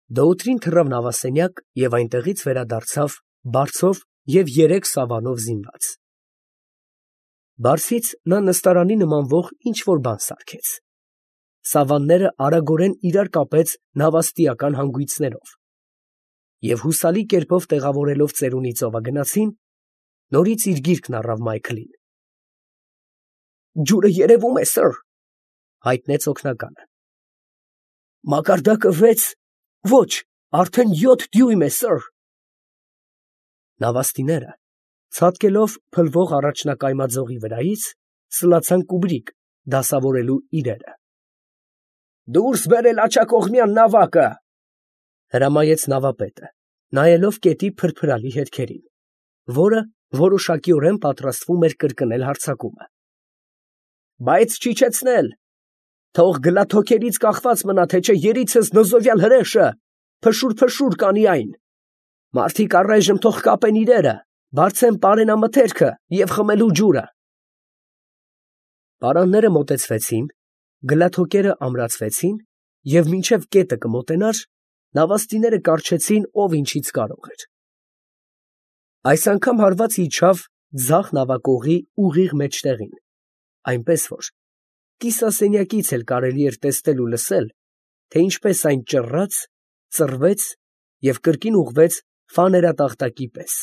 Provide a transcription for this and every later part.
Դոուտրին թռավ նավասենյակ և այնտեղից վերադարձավ բարձով և 3 սավանով զինված։ Բարձից նա նստարանի նմանվող ինչ֊որ բան սարքեց։ Սավանները արագորեն իրար կապեց նավաստիական հանգույցներով և հուսալի կերպով տեղավորելով ծերունի ծովագնացին, նորից իր գիրկն առավ Մայքլին։ ֊ Ջուրը երևում է, սըր, ֊ հայտնեց օգնականը։ ֊ Մակարդակը 6, ոչ, արդեն 7 դյույմ է, սըր։ Նավաստիները, ցատկելով փլվող առաջնակայմաձողի վրայից, սլացան կուբրիկ դասավորելու իրերը։ ֊ Դուրս բերել աջակողմյան նավակը, ֊ հրամայեց նավապետը, նայելով կետի փրփրալի հետքերին, որը որոշակիորեն պատրաստվում էր կրկնել հարձակումը։ ֊ Բայց չիջեցնել, թող գլաթոքերից կախված մնա, թե չէ երիցս նզովյալ հրեշը փշուր կանի այն. մարդիկ առայժմ թող կապեն իրերը, բարձեն պարենամթերքը և խմելու ջուրը։ Պարանները մոտեցվեցին, գլաթոկերը ամրացվեցին և մինչև կետը կմոտենար, նավաստիները կառչեցին ով ինչից կարող էր։ Այս անգամ հարվածը իջավ ձախ նավակողի ուղիղ մեջտեղին, այնպես որ կիսասենյակից էլ կարելի էր տեսնել ու լսել, թե ինչպես այն ճռռաց, ծռվեց և կրկին ուղղվեց ֆաներատախտակի պես։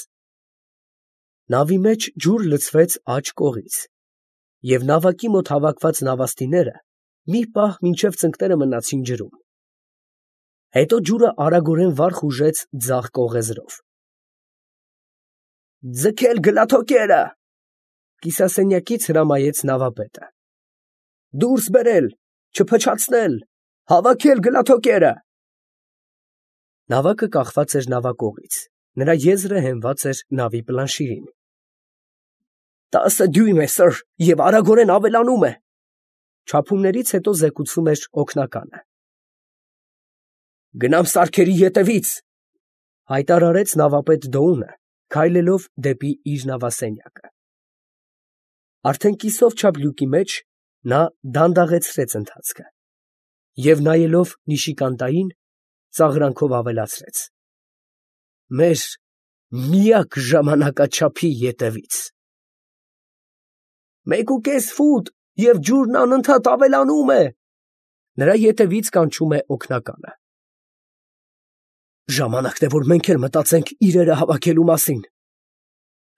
Նավի մեջ ջուր լցվեց աջ կողից, և նավակի մոտ հավաքված նավաստիները մի պահ մինչև ծնկները մնացին ջրում։ Հետո ջուրը արագորեն վար խուժեց ձախ կողեզրով։ ֊ Ձգել գլաթոկերը, ֊ կիսասենյակից հրամայեց նավապետը։ ֊ Դուրս բերել, չփչացնել, հավաքել գլաթոկերը։ Նավակը կախված էր նավակողից, նրա եզրը հենված էր նավի պլանշիրին։ ֊ 10 դյույմ է, սըր, և արագորեն ավելանում է, ֊ չափումներից հետո զեկուցում էր օգնականը։ ֊ Գնամ սարքերի ետևից, ֊ հայտարարեց նավապետ Դոունը, քայլելով դեպի իր նավասենյակը։ Արդեն կիսով չափ լյուկի մեջ նա դանդաղեցրեց ընթացքը և, նայելով Նիշիկանտային, ծաղրանքով ավելացրեց. մեր միակ ժամանակաչափի ետևից։ ֊ 1.5 ֆուտ, և ջուրն անընդհատ ավելանում է, ֊ նրա ետևից կանչում է օգնականը։ ֊ Ժամանակն է, որ մենք էլ մտածենք իրերը հավաքելու մասին, ֊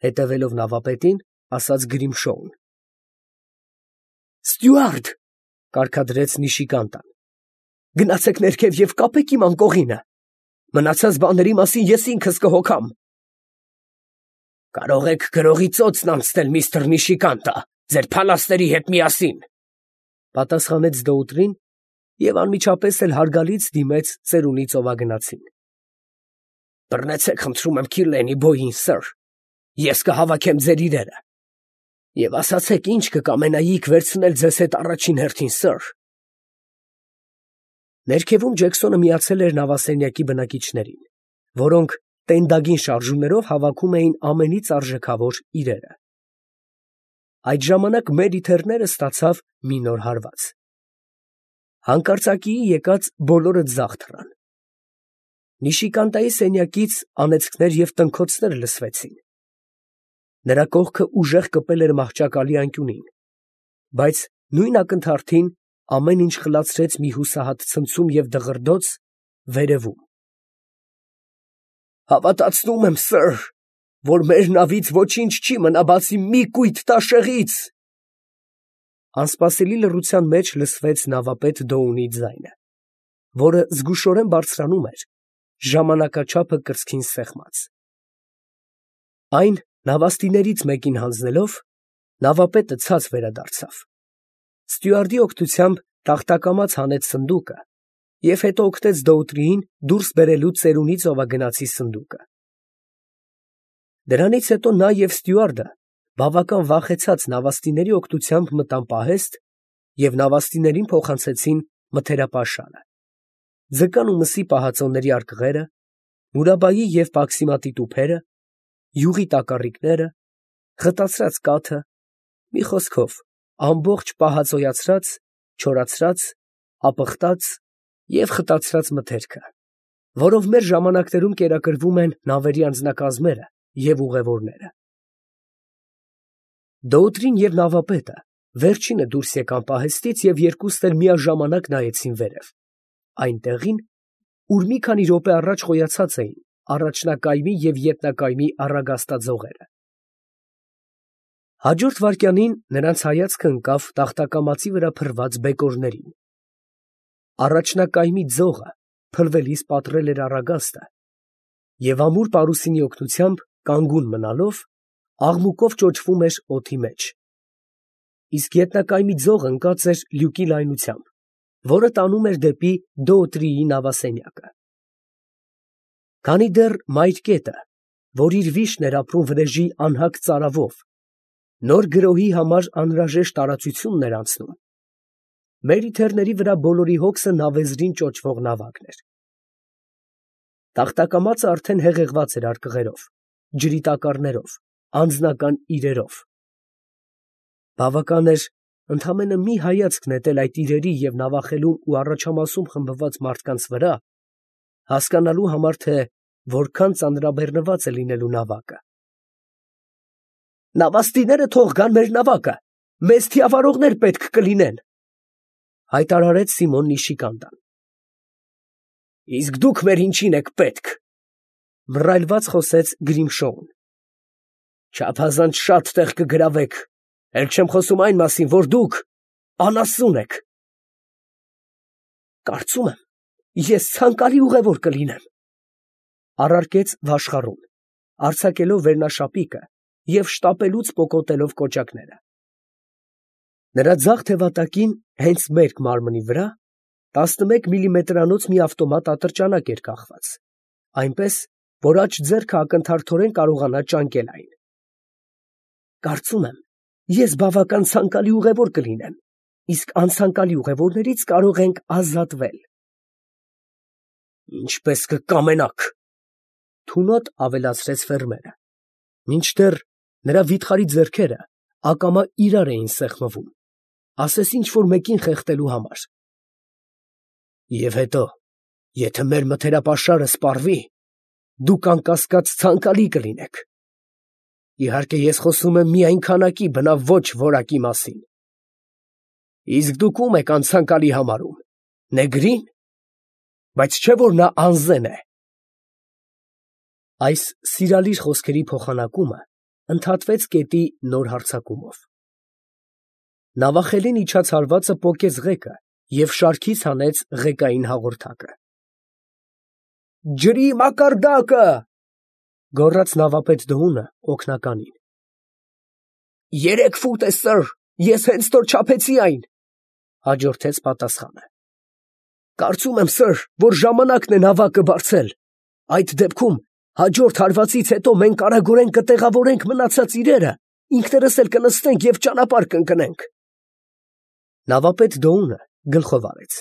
հետևելով նավապետին, ասաց Գրիմշոուն։ ֊ Ստյուարդ, ֊ կարգադրեց Նիշիկանտան, ֊ գնացեք ներքև և կապեք իմ անկողինը. մնացած բաների մասին ես ինքս կհոգամ։ ֊ Կարող եք գրողի ծոցն անցնել, միստր Նիշիկանտա, ձեր փալաստերի հետ միասին, ֊ պատասխանեց Դոուտրին և անմիջապես էլ հարգալից դիմեց ծերունի ծովագնացին։ ֊ Բռնեցեք, խնդրում եմ, Քիրլենի բոյին, սըր, ես կհավաքեմ ձեր իրերը, և ասացեք, ինչ կկամենայիք վերցնել ձեզ հետ առաջին հերթին, սըր։ Ներքևում Ջեքսոնը միացել էր նավասենյակի բնակիչներին, որոնք տենդագին շարժումներով հավաքում էին ամենից արժեքավոր իրերը։ Այդ ժամանակ Մերիթեռները ստացավ մի նոր հարված։ Հանկարծակիի եկած բոլորը ձախ թռան։ Նիշիկանտայի սենյակից անեծքներ և տնքոցներ լսվեցին։ Նրա կողքը ուժեղ կպել էր մահճակալի անկյունին, բայց նույն ակնթարթին ամեն ինչ խլացրեց մի հուսահատ ցնցում և դղրդոց վերևում։ Հավատացնում եմ, սըր, որ մեր նավից ոչինչ չի մնա, բացի մի կույտ տաշեղից, ֊ անսպասելի լռության մեջ լսվեց նավապետ Դոունի ձայնը, որը զգուշորեն բարձրանում էր, ժամանակաչափը կրծքին սեղմած։ Այն նավաստիներից մեկին հանձնելով, նավապետը ցած վերադարձավ, ստյուարդի օգնությամբ տախտակամաց հանեց սնդուկը և հետո օգնեց Դոուտրիին դուրս բերելու ծերունի ծովագնացի սնդուկը։ Դրանից հետո նա և ստյուարդը բավական վախեցած նավաստիների օգնությամբ մտան պահեստ և նավաստիներին փոխանցեցին մթերապաշարը, ձկան ու մսի պահածոների արկղերը, Մուրաբայի և Պաքսիմատի տուփերը, յուղի տակառիկները, խտացրած կաթը, մի խոսքով, ամբողջ պահածոյացրած, չորացրած, ապխտած և խտացրած մթերքը, որով մեր ժամանակներում կերակրվում են նավերի անձնակազմերը և ուղևորները։ Դոուտրին և նավապետը վերջինը դուրս եկան պահեստից և երկուսն էլ միաժամանակ նայեցին վերև, այն տեղին, ուր մի քանի րոպե առաջ խոյացած էին առաջնակայմի և ետնակայմի առագաստաձողերը։ Հաջորդ վայրկյանին նրանց հայացքը ընկավ տախտակամածի վրա փռված բեկորներին։ Առաջնակայմի ձողը փլվելիս պատռել էր առագաստը և ամուր պարուսինի օգնությամբ կանգուն մնալով աղմուկով ճոճվում էր օդի մեջ, իսկ ետնակայմի ձողը ընկած էր լյուկի լայնությամբ, որը տանում էր դեպի Դոոտրիի նավասենյակը։ Քանի դեռ մայր կետը, որ իր վիշտն էր ապրում վրեժի անհագ ծարավով, նոր գրոհի համար անհրաժեշտ տարածությունն էր անցնում, մեր իթեռների վրա բոլորի հոգսը նավեզրին ճոճվող նավակն էր։ Տախտակամածը արդեն հեղեղված էր արկղերով, ջրի տակառներով, անձնական իրերով։ Բավական էր ընդամենը մի հայացք նետել այդ իրերի և նավախելուն ու առաջամասում խմբված մարդկանց վրա, հասկանալու համար, թե որքան ծանրաբեռնված է լինելու նավակը։ «Նավաստիները թող գան մեր նավակը, մեզ թիավարողներ պետք կլինեն», հայտարարեց Սիմոն Նիշիկանդան։ «Իսկ դուք մեր ինչին եք պետք», մռայլված խոսեց Գրիմշոուն։ «Չափազանց շատ տեղ կգրավեք, էլ չեմ խոսում այն մասին, որ դուք անասուն եք»։ «Կարծում եմ, ես ցանկալի ուղևոր կլինեմ», առարկեց Վաշխառուն, արձակելով վերնաշապիկը և շտապելուց պոկոտելով կոճակները։ Նրա ձախ թևատակին, հենց մերկ մարմնի վրա, 11 միլիմետրանոց մի ավտոմատ ատրճանակ էր կախված, այնպես, որ աջ ձեռքը ակնթարթորեն կարողանա ճանկել այն։ «Կարծում եմ, ես բավական ցանկալի ուղևոր կլինեմ, իսկ անցանկալի ուղևորներից կարող ենք ազատվել»։ «Ինչպես կկամենաք», թունոտ ավելացրեց ֆերմերը, մինչդեռ նրա վիթխարի ձեռքերը ակամա իրար էին սեղմվում, ասես ինչ֊որ մեկին խեղդելու համար։ «Եվ հետո, եթե մեր մթերապաշարը սպառվի, դուք անկասկած ցանկալի կլինեք։ Իհարկե, ես խոսում եմ միայն քանակի, բնավ ոչ որակի մասին։ Իսկ դուք ում եք անցանկալի համարում, նեգրի՞ն, բայց չէ՞ որ նա անզեն է»։ Այս սիրալիր խոսքերի փոխանակումը ընդհատվեց կետի նոր հարձակումով։ Նավախելին իջած հարվածը պոկեց ղեկը և շարքից հանեց ղեկային հաղորդակը։ «Ջրի մակարդակը», գոռաց նավապետ Դոունը օգնականին։ «3 ֆուտ է, սըր, ես հենց նոր չափեցի այն», հաջորդեց պատասխանը։ «Կարծում եմ, սըր, որ ժամանակն է նավակը բարձել, այդ դեպքում հաջորդ հարվածից հետո մենք արագորեն կտեղավորենք մնացած իրերը, ինքներս էլ կնստենք և ճանապարհ կընկնենք»։ Նավապետ Դոունը գլխով արեց։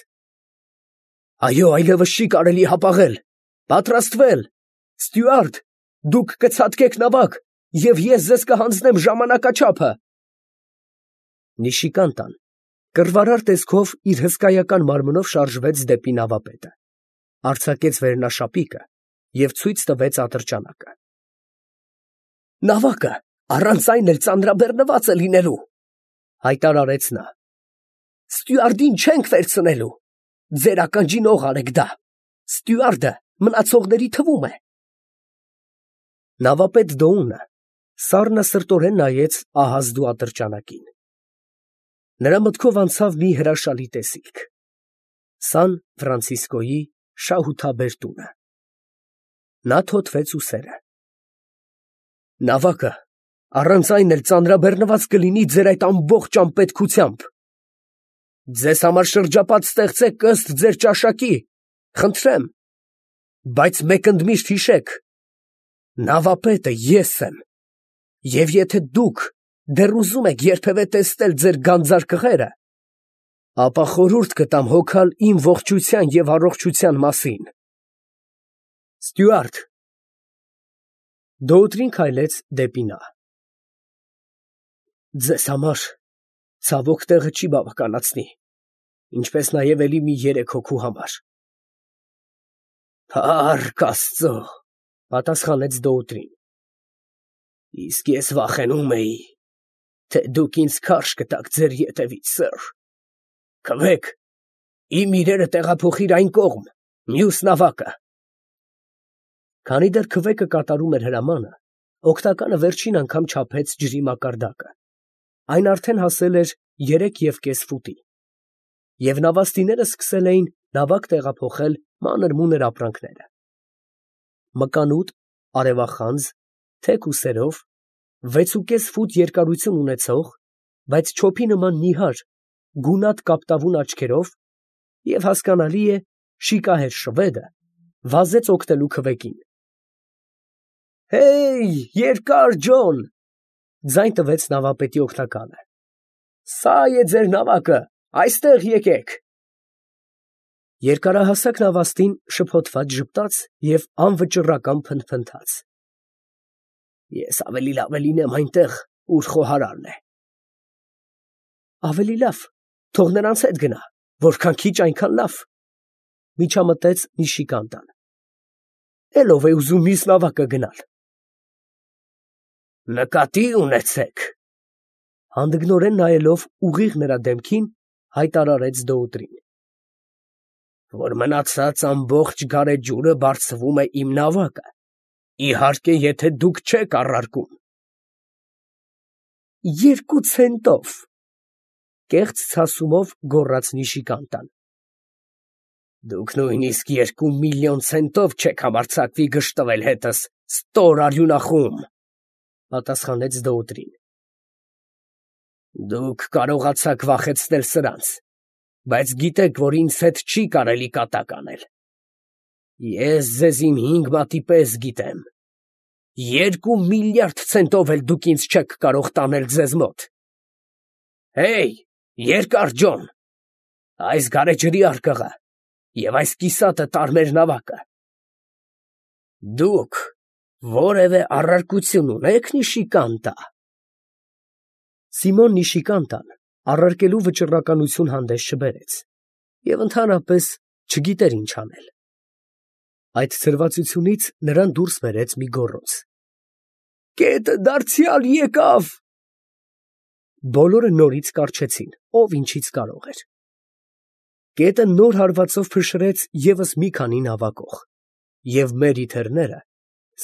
«Այո, այլևս չի կարելի հապաղել, պատրաստվել, ստյուարդ, դուք կցատկեք նավակ, և ես ձեզ կհանձնեմ ժամանակաչափը»։ Նիշիկանտան կռվարար տեսքով իր հսկայական մարմնով շարժվեց դեպի նավապետը, արձակեց վերնաշապիկը և ցույց տվեց ատրճանակը։ «Նավակը առանց այն էլ ծանրաբեռնված է լինելու», հայտարարեց նա։ «Ստյուարդին չենք վերցնելու, ձեր ականջին օղ արեք դա, ստյուարդը մնացողների թվում է»։ Նավապետ Դոունը սառնասրտորեն նայեց ահազդու ատրճանակին։ Նրա մտքով անցավ մի հրաշալի տեսիլք. Սան Ֆրանցիսկոյի շահութաբեր տունը։ Նա թոթվեց ուսերը։ «Նավակը առանց այն էլ ծանրաբեռնված կլինի ձեր այդ ամբողջ անպետքությամբ։ Ձեզ համար շրջապատ ստեղծեք ըստ ձեր ճաշակի, խնդրեմ, բայց մեկ ընդմիշտ հիշեք. նավապետը ես եմ, և եթե դուք դեռ ուզում եք երբևէ տեսնել ձեր գանձար կղերը, ապա խորհուրդ կտամ հոգալ իմ ողջության և առողջության մասին։ Ստյուարդ»։ Դոուտրին քայլեց դեպի նա։ «Ձեզ համար ցավոք տեղը չի բավականացնի, ինչպես նաև էլի մի 3 հոգու համար»։ Փառք Աստծո, պատասխանեց Դոուտրին։ Իսկ ես վախենում էի, թե դուք ինձ քարշ կտաք ձեր ետևից, սըր։ Քվեք, իմ իրերը տեղափոխիր այն կողմ, մյուս նավակը։ Քանի դեռ քվեկը կատարում էր հրամանը, օգնականը վերջին անգամ չափեց ջրի մակարդակը։ Այն արդեն հասել էր 3,5 ֆուտի, և նավաստիները սկսել էին նավակ տեղափոխել մանր֊մունր ապրանքները։ Մկանուտ, արևախանձ, թեք ուսերով, 6,5 ֆուտ երկարություն ունեցող, բայց չոփի նման նիհար, գունատ կապտավուն աչքերով և հասկանալի է, շիկահեր շվեդը վազեց օգնելու քվեկին։ «Հեյ, երկար Ջոն», ձայն տվեց նավապետի օգնականը, «սա է ձեր նավակը, այստեղ եկեք»։ Երկարահասակ նավաստին շփոթված ժպտաց և անվճռական փնթփնթաց։ Ես ավելի լավ է լինեմ այնտեղ, ուր խոհարարն է։ Ավելի լավ, թող նրանց հետ գնա, որքան քիչ, այնքան լավ, միջամտեց Նիշիկանտան։ Էլ ով է ուզում մյուս նավակը գնալ։ Նկատի ունեցեք, հանդգնորեն նայելով ուղիղ նրա դեմքին, հայտարարեց Դոուտրին, որ մնացած ամբողջ գարեջուրը բարձվում է իմ նավակը, իհարկե, եթե դուք չեք առարկում։ 2 ցենտով, կեղծ ցասումով գոռաց Նիշիկանտան։ Դուք նույնիսկ 2 միլիոն ցենտով չեք համարձակվի գժտվել հետս, ստոր արյունախում, պատասխանեց Դոուտրին։ Դուք կարողացաք վախեցնել սրանց, բայց գիտեք, որ ինձ հետ չի կարելի կատակ անել։ Ես ձեզ իմ 5 մատի պես գիտեմ։ 2 միլիարդ ցենտով էլ դուք ինձ չեք կարող տանել ձեզ մոտ։ Հեյ, երկար Ջոն, այս գարեջրի արկղը և այս կիսատը տար մեր նավակը։ Դուք որևէ առարկություն ունե՞ք, Նիշիկանտա։ Սիմոն Նիշիկանտան առարկելու վճռականություն հանդես չբերեց և ընդհանրապես չգիտեր ինչ անել։ Այդ ցրվածությունից նրան դուրս բերեց մի գոռոզ. Կետը դարձյալ եկավ։ Բոլորը նորից կառչեցին, ով ինչից կարող էր։ Կետը նոր հարվածով փշրեց ևս մի քանի նավակող, և մերիթերները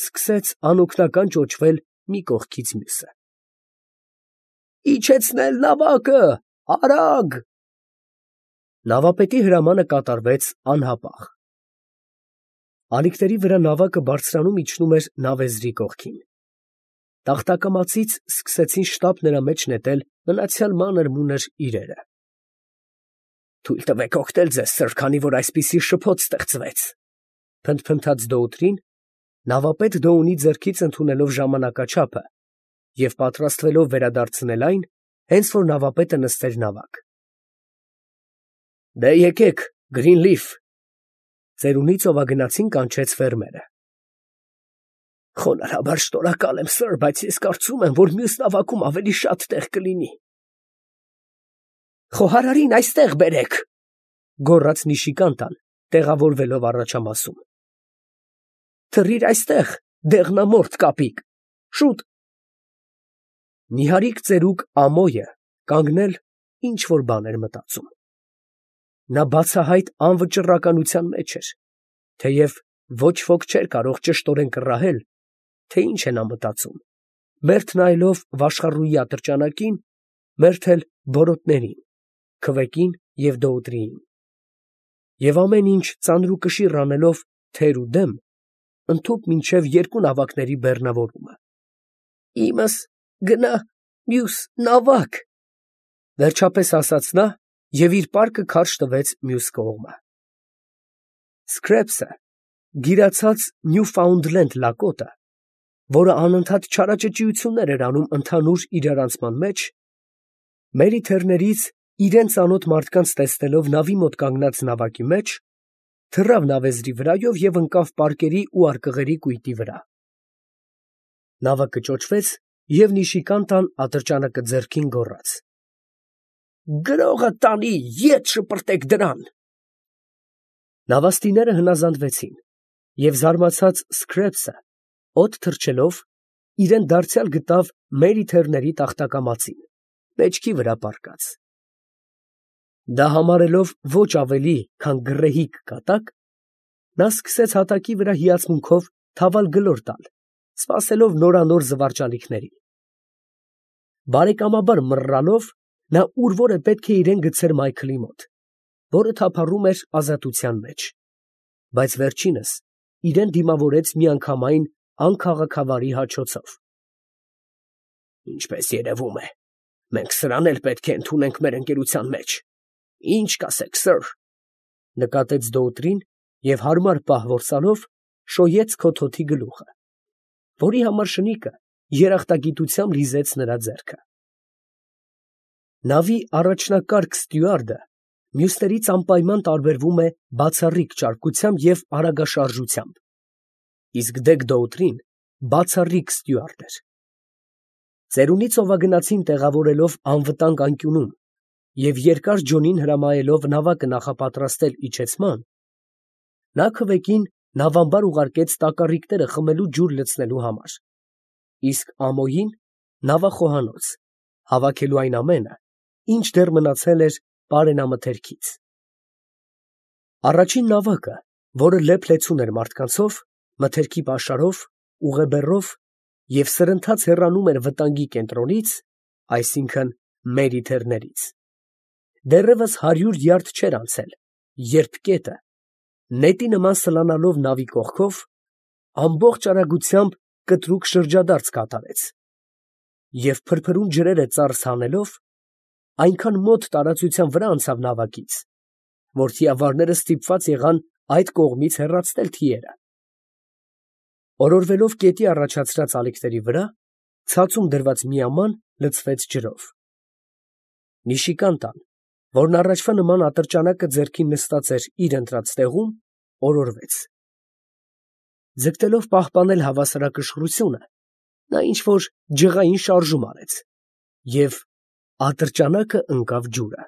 սկսեց անօգնական ճոճվել մի կողքից մյուսը։ Իջեցնել նավակը, արագ։ Նավապետի հրամանը կատարվեց անհապաղ։ Ալիքների վրա նավակը բարձրանում իջնում էր նավեզրի կողքին։ Տախտակամածից սկսեցին շտապ նրա մեջ նետել մնացյալ մանր֊մունր իրերը։ Թույլ տվեք օգնել ձեզ, սըր, քանի որ այսպիսի շփոթ ստեղծվեց, փնթփնթաց Դոուտրին, նավապետ Դոունի ձեռքից ընդունելով ժամանակաչափը և պատրաստվելով վերադարձնել այն, հենց որ նավապետը նստեր նավակ։ Դե եկեք, Գրինլիֆ, ծերունի ծովագնացին կանչեց ֆերմերը։ Խոնարհաբար շնորհակալ եմ, սըր, բայց ես կարծում եմ, որ մյուս նավակում ավելի շատ տեղ կլինի։ Խոհարարին այստեղ բերեք, գոռաց Նիշիկանտան, տեղավորվելով առաջամասում։ Թռիր այստեղ, դեղնամորթ կապիկ, շուտ։ Նիհարիկ ծերուկ Ամոյը կանգնել ինչ֊որ բան էր մտածում։ Նա բացահայտ անվճռականության մեջ էր, թեև ոչ ոք չէր կարող ճշտորեն կռահել, թե ինչ է նա մտածում, մերթ նայելով վաշխառուի ատրճանակին, մերթ էլ բորոտներին, քվեկին և Դոուտրիին, և ամեն ինչ ծանրուկշիռ անելով թեր ու դեմ, ընդհուպ մինչև 2 նավակների բեռնավորումը։ Իմս գնա մյուս նավակ, վերջապես ասաց նա և իր պարկը քարշ տվեց մյուս կողմը։ Սքրեպսը, գիրացած Նյուֆաունդլենդ լակոտը, որը անընդհատ չարաճճիություններ էր անում ընդհանուր իրարանցման մեջ, մերիթերներից իրան ծանոթ մարդկանց տեսնելով նավի մոտ կանգնած նավակի մեջ, թռավ նավեզրի վրայով և ընկավ պարկերի ու արկղերի կույտի վրա։ Նավակը ճոճվեց, և Նիշիկանտան ատրճանակը ձեռքին գոռաց. Գրողը տանի, ետ շպրտեք դրան։ Նավաստիները հնազանդվեցին, և զարմացած Սքրեփսը, օդ թռչելով, իրեն դարձյալ գտավ Մերիթերների տախտակամածին, մեջքի վրա պառկած։ Դա համարելով ոչ ավելի, քան գռեհիկ կատակ, նա սկսեց հատակի վրա հիացմունքով թավալ գլոր տալ, սպասելով նորանոր զվարճալիքների։ Բարեկամաբար մռռալով, նա ուր որ է պետք է իրան գցեր Մայքլի մոտ, որը թափառում էր ազատության մեջ, բայց վերջինս իրան դիմավորեց միանգամայն անքաղաքավարի հաչոցով։ «Ինչպես երևում է, մենք սրան էլ պետք է ընդունենք մեր ընկերության մեջ, ի՞նչ կասեք, սըր», ֊ նկատեց Դոուտրին և հարմար պահ որսալով շոյեց քոթոթի գլուխը, որի համար շնիկը երախտագիտությամբ լիզեց նրա ձեռքը։ Նավի առաջնակարգ ստյուարդը մյուսներից անպայման տարբերվում է բացառիկ ճարպկությամբ և արագաշարժությամբ, իսկ Դեգ Դոուտրին բացառիկ ստյուարդ էր։ Ծերունի ծովագնացին տեղավորելով անվտանգ անկյունում և երկար ջոնին հրամայելով նավակը նախապատրաստել իջեցման, նա քվեկին նավամբար ուղարկեց տակառիկները խմելու ջուր լցնելու համար, իսկ ամոյին նավախոհանոց, հավաքելու այն ամենը, ինչ դեռ մնացել էր պարենամթերքից։ Առաջին նավակը, որը լեփ֊լեցուն էր մարդկանցով, մթերքի պաշարով, ուղեբեռով և սրընթաց հեռանում էր վտանգի կենտրոնից, այսինքն Մերիթերներից, դեռևս 100 յարդ չէր անցել, երբ կետը, նետի նման սլանալով նավի կողքով, ամբողջ արագությամբ կտրուկ շրջադարձ կատարեց և փրփրուն ջրերը ծարս հանելով, այնքան մոտ տարածության վրա անցավ նավակից, որ թիավարները ստիպված եղան այդ կողմից հեռացնել թիերը։ Օրորվելով կետի առաջացրած ալիքների վրա, ցածում դրված մի աման լցվեց ջրով։ Նիշիկան տան, որն առաջվա նման ատրճանակը ձեռքին նստած էր իր ընտրած տեղում, օրորվեց։ Ձգտելով պահպանել հավասարակշռությունը, նա ինչ֊որ ջղային շարժում արեց և ատրճանակը ընկավ ջուրը։